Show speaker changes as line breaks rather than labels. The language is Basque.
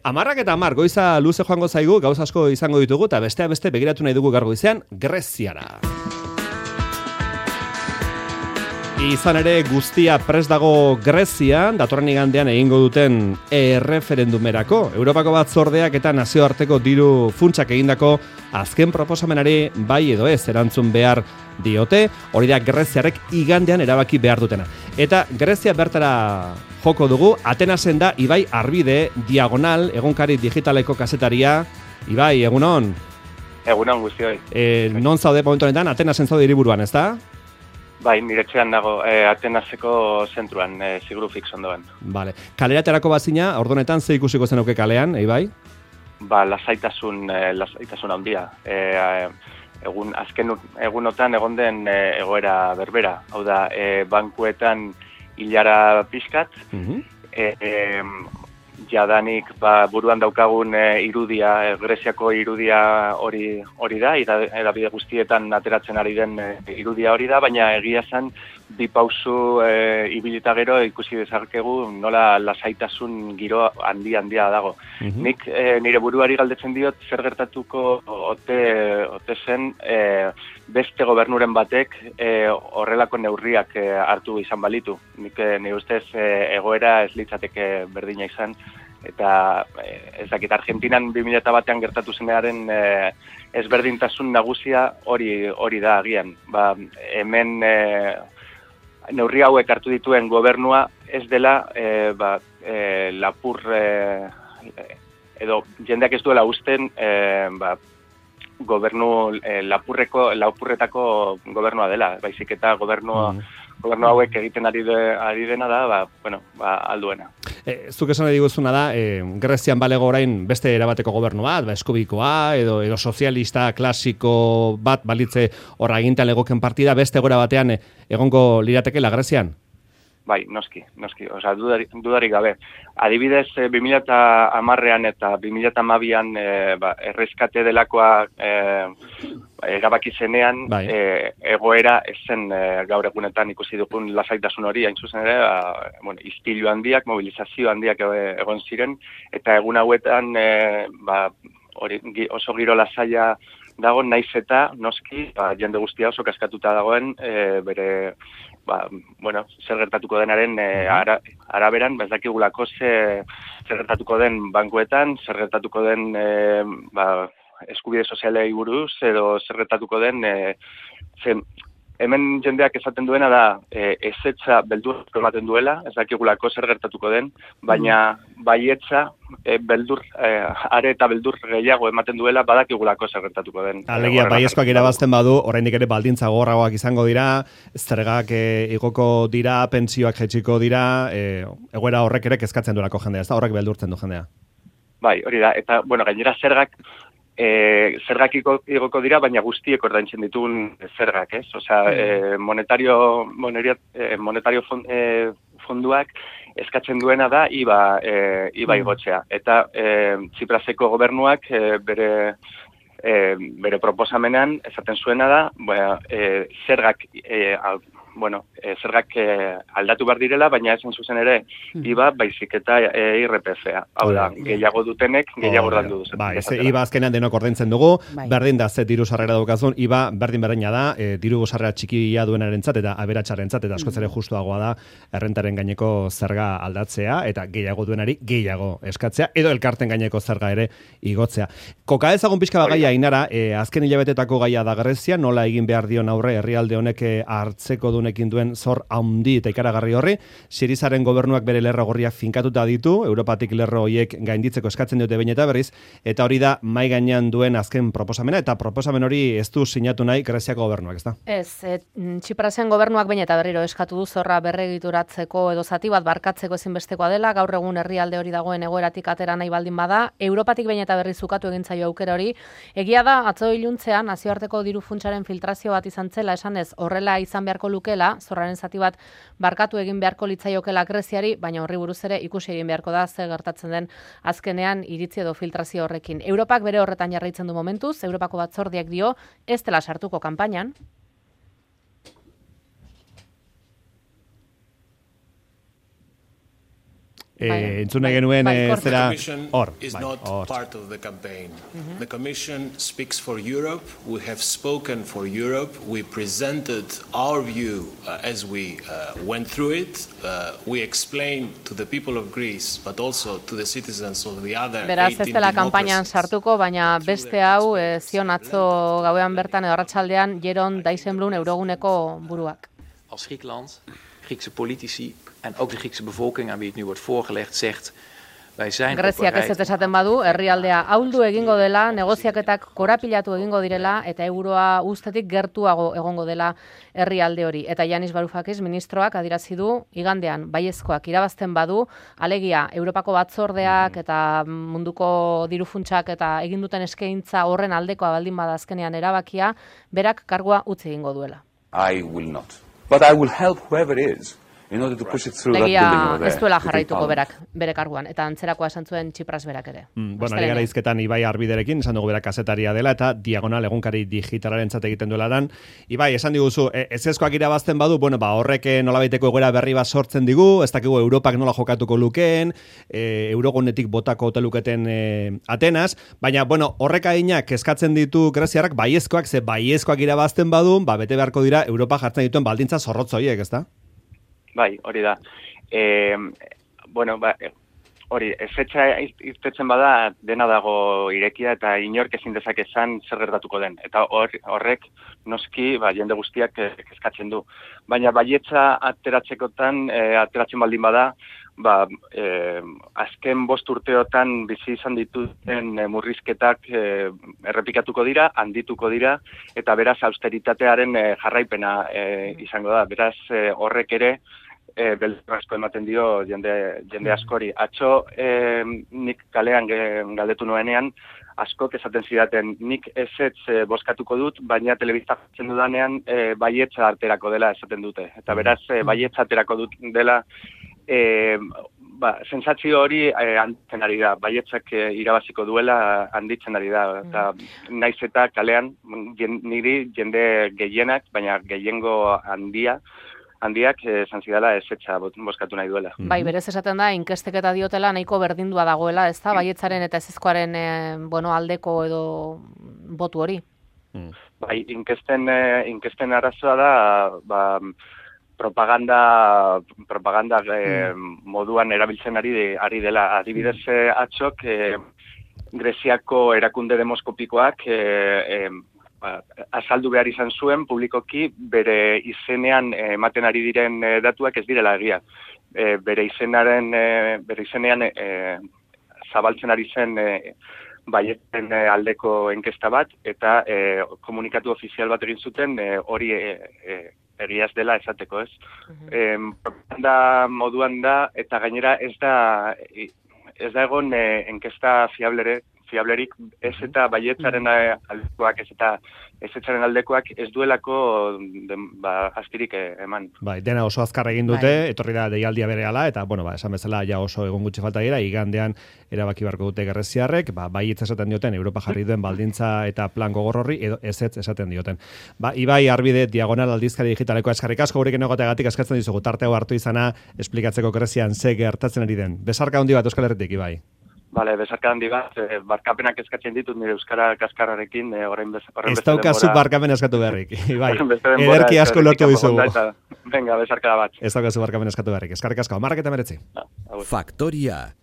Amarrak eta amar, goiza luze joango zaigu, gauz asko izango ditugu, eta besteak beste begiratu nahi dugu gaur goizean, Greziara. Izan ere guztia prest dago Grezian, datorren igandean egingo duten erreferendumerako. Europako Batzordeak eta nazioarteko diru funtsak egindako azken proposamenari bai edo ez erantzun behar diote, hori da Greziarek igandean erabaki behar dutena. Eta Grezia bertara joko dugu, Atenasen da Ibai Arbide, Diagonal, egunkari digitaleko kazetaria. Ibai, egunon?
Egunon guztioi.
Non zaude momentu honetan, Atenasen zaude hiriburuan, ezta?
Bai, nire etxean dago, Atenaseko zentruan, Sigrufix ondoan.
Vale. Kaleraterako bazina, ordonetan ze ikusiko zenuke kalean, Ibai?
Ba, lasaitasun handia. Azken egunotan egon den egoera berbera. Hau da, bankuetan hilara pixkat, jadanik buruan daukagun irudia, Greziako irudia hori da, edabide guztietan ateratzen ari den irudia hori da, baina egia zen bi pausu ibilita gero ikusi dezakegu nola lasaitasun giro handia dago. Nik nire buruari galdetzen diot zer gertatuko ote zen beste gobernuren batek horrelako neurriak hartu izan balitu. Nik nire ustez egoera ez litzateke berdina izan, eta ezakit Argentinan 2001an gertatu zenearen ezberdintasun nagusia hori da agian. Hemen neurri hauek hartu dituen gobernua ez dela lapur edo jendeak ez duela usten gobernu lapurretako gobernua dela, baizik eta gobernu hauek egiten ari dena da, alduena.
Zuk esan diguzuna da, Grezian balego orain beste erabateko gobernu bat, eskubikoa edo sozialista klasiko bat balitze horra agintan legoken partida, beste gora batean egongo liratekela Grezian?
Bai, noski. Osa, dudarik gabe. Adibidez, 2010an eta 2012an erreskate delakoa erabaki zenean, egoera ezen gaur egunetan ikusi dugun lasaitasun hori, hain zuzen ere, istilu handiak, mobilizazio handiak egon ziren, eta egun hauetan oso giro lasaia dago, naiz eta noski, jende guztia oso kaskatuta dagoen, bere zer gertatuko denaren araberan, ez dakigulako zer gertatuko den bankuetan, zer gertatuko den eskubide sozialei buruz, edo zer gertatuko den, hemen jendeak esaten duena da ezetza beldur ematen duela, ez dakigulako zer gertatuko den, baina baietza beldur, are eta beldur gehiago ematen duela badakigulako zer gertatuko den.
Alegia, baiezkoak irabazten badu, oraindik ere baldintza gogorragoak izango dira, zergak igoko dira, pentsioak jaitsiko dira, egoera horrek ere kezkatzen duelako jendea, ez da horrek beldurtzen du jendea.
Bai, hori da, eta gainera zergak igoko dira, baina guztiek ordaintzen ditugun zergak, ez? Osea, monetario fonduak eskatzen duena da IVA igotzea. Eta Tsipraseko gobernuak bere proposamenean esaten zuena da, zergak aldatu behar direla, baina esan zuzen ere IVA baizik eta IRPF-a. Hau da, gehiago dutenek, gehiago ordaindu duzen.
IVA azkenean denok ordaintzen dugu, berdin da ze diru sarrera daukazun, IVA berdin da, diru sarrera txikia duenarentzat eta aberatsarentzat, eta askoz ere justuagoa da errentaren gaineko zerga aldatzea, eta gehiago duenari gehiago eskatzea, edo elkarten gaineko zerga ere igotzea. Koka ezagun pixka bagaia, Ainara, azken hilabetetako gaia da Grezia, nola egin behar dion aurre herrialde honek hartzeko dunekin duen zor handi eta ikaragarri horri, Sirizaren gobernuak bere lerro gorriak finkatuta ditu, Europatik lerro horiek gainditzeko eskatzen dute behin eta berriz, eta hori da mai gainean duen azken proposamena, eta proposamen hori ez du sinatu nahi Greziako gobernuak, ez da?
Ez, Tsiprasen gobernuak behin eta berriro eskatu du zorra berregituratzeko edo zati bat barkatzeko ezinbestekoa dela, gaur egun herrialde hori dagoen egoeratik atera nahi baldin bada, Europatik behin eta berriz zukatu egin zaio aukera hori. Egia da, atzo iluntzean nazioarteko diru funtsaren filtrazio bat izan zela, esanez horrela izan beharko lukela, zorraren zati bat barkatu egin beharko litzaiokela Greziari, baina horri buruz ere ikusi egin beharko da zer gertatzen den azkenean iritzi edo filtrazio horrekin. Europak bere horretan jarraitzen du momentuz, Europako Batzordeak dio ez dela sartuko kanpainan.
Entzune genuen zera hor.
Is not part of the campaign. The Commission speaks for Europe. We have spoken for Europe. We presented our view as we went through it. We explained to the people of Greece, but also to the citizens of the other 18
Beraz, ez dela kanpainan sartuko, baina beste hau zion atzo gauean bertan edo arratsaldean Jeroen Dijsselbloem Euroguneko buruak.
Als Griekenland, Griekse politici en ook de Griekse bevolking aan wie het nu wordt voorgelegd zegt wij zijn
Greziak ez esaten badu, herrialdea ahuldu egingo dela, negoziaketak korapilatu egingo direla eta euroa ustetik gertuago egongo dela herrialde hori. Eta Yanis Varoufakis ministroak adierazi du igandean baiezkoak irabazten badu, alegia Europako batzordeak eta munduko dirufuntsak eta egin duten eskaintza horren aldekoa baldin bada azkenean erabakia, berak kargua utzi egingo duela.
I will not. But I will help whoever it is in order to push it through that building over there.
Ez duela jarraituko berak, bere karguan, eta antzerakoa esan zuen Tsipras berak ere.
Bueno, ari gara izketan Ibai Arbiderekin, esan dugu berak kazetaria dela, eta Diagonal egunkari digitalarentzat egiten duela dan. Ibai, esan diguzu, ezezkoak irabazten badu, bueno, horrek nolabaiteko egoera berri bat sortzen digu, ez dakigu Europak nola jokatuko lukeen, Eurogunetik botako ote luketen Atenas, baina, bueno, horrek adinak eskatzen ditu greziarrak baiezkoak, ze baiezkoak irabazten badu, bete beharko dira Europa jartzen dituen baldintza zorrotz horiek, ezta?
Bai, hori da. Hori, ezetxa irtetzen bada dena dago irekia eta inork ezin dezake esan zer gertatuko den. Eta horrek noski jende guztiak kezkatzen du. Baina baietza ateratzen baldin bada, azken 5 urteotan bizi izan dituten murrizketak errepikatuko dira, handituko dira, eta beraz austeritatearen jarraipena izango da. Beraz horrek ere beldur asko ematen dio jende askori. Atzo nik kalean galdetu nuenean, askok esaten zidaten, nik ezetz bozkatuko dut, baina telebista jartzen dudanean baietza aterako dela esaten dute. Eta beraz baietza aterako dut dela sentsazio hori handitzen ari da, baietzak irabaziko duela handitzen ari da, eta naiz eta kalean niri jende gehienak, baina gehiengo handiak esan zidala ezetza bozkatu nahi duela.
Bai, berez esaten da, inkesteketa diotela nahiko berdindua dagoela, ez da, baietzaren eta ezezkoaren aldeko edo botu hori?
Bai, inkesten arazoa da, propaganda moduan erabiltzen ari dela. Adibidez, atzok, Greziako erakunde demoskopikoak azaldu behar izan zuen publikoki bere izenean ematen ari diren datuak ez direla egia. Bere izenean zabaltzen ari zen baietzen aldeko enkesta bat, eta komunikatu ofizial bat egin zuten hori egiaz dela esateko, ez? Propaganda moduan da, eta gainera ez da egon enkesta fiablerik, ez eta baietzaren aldekoak, ez eta ezetzaren aldekoak ez duelako astirik eman.
Bai, dena oso azkar egin dute, etorri da deialdia berehala, eta, esan bezala, ja oso egun gutxi falta dira, igandean erabaki beharko dute greziarrek, baietz esaten dioten, Europa jarri duen baldintza eta plan gogor horri, edo ezetz esaten dioten. Ibai Arbide, Diagonal aldizkari digitaleko eskarrik asko, gurekin egoteagatik eskatzen dizugu, tarteo hartu izana, esplikatzeko Grezian ze gertatzen ari den. Besarka handi bat Euskal Herritik, Ibai.
Bale, besarka handi bat, barkapenak eskatzen ditut nire euskara kaskarrarekin, orain bezala.
Ez daukazu barkapen eskatu beharrik, Ibai. Ederki asko lortu dizugu.
Venga, besarka bat.
Ez daukazu barkapen eskatu beharrik. Eskarrik asko, 10:19.
Faktoria,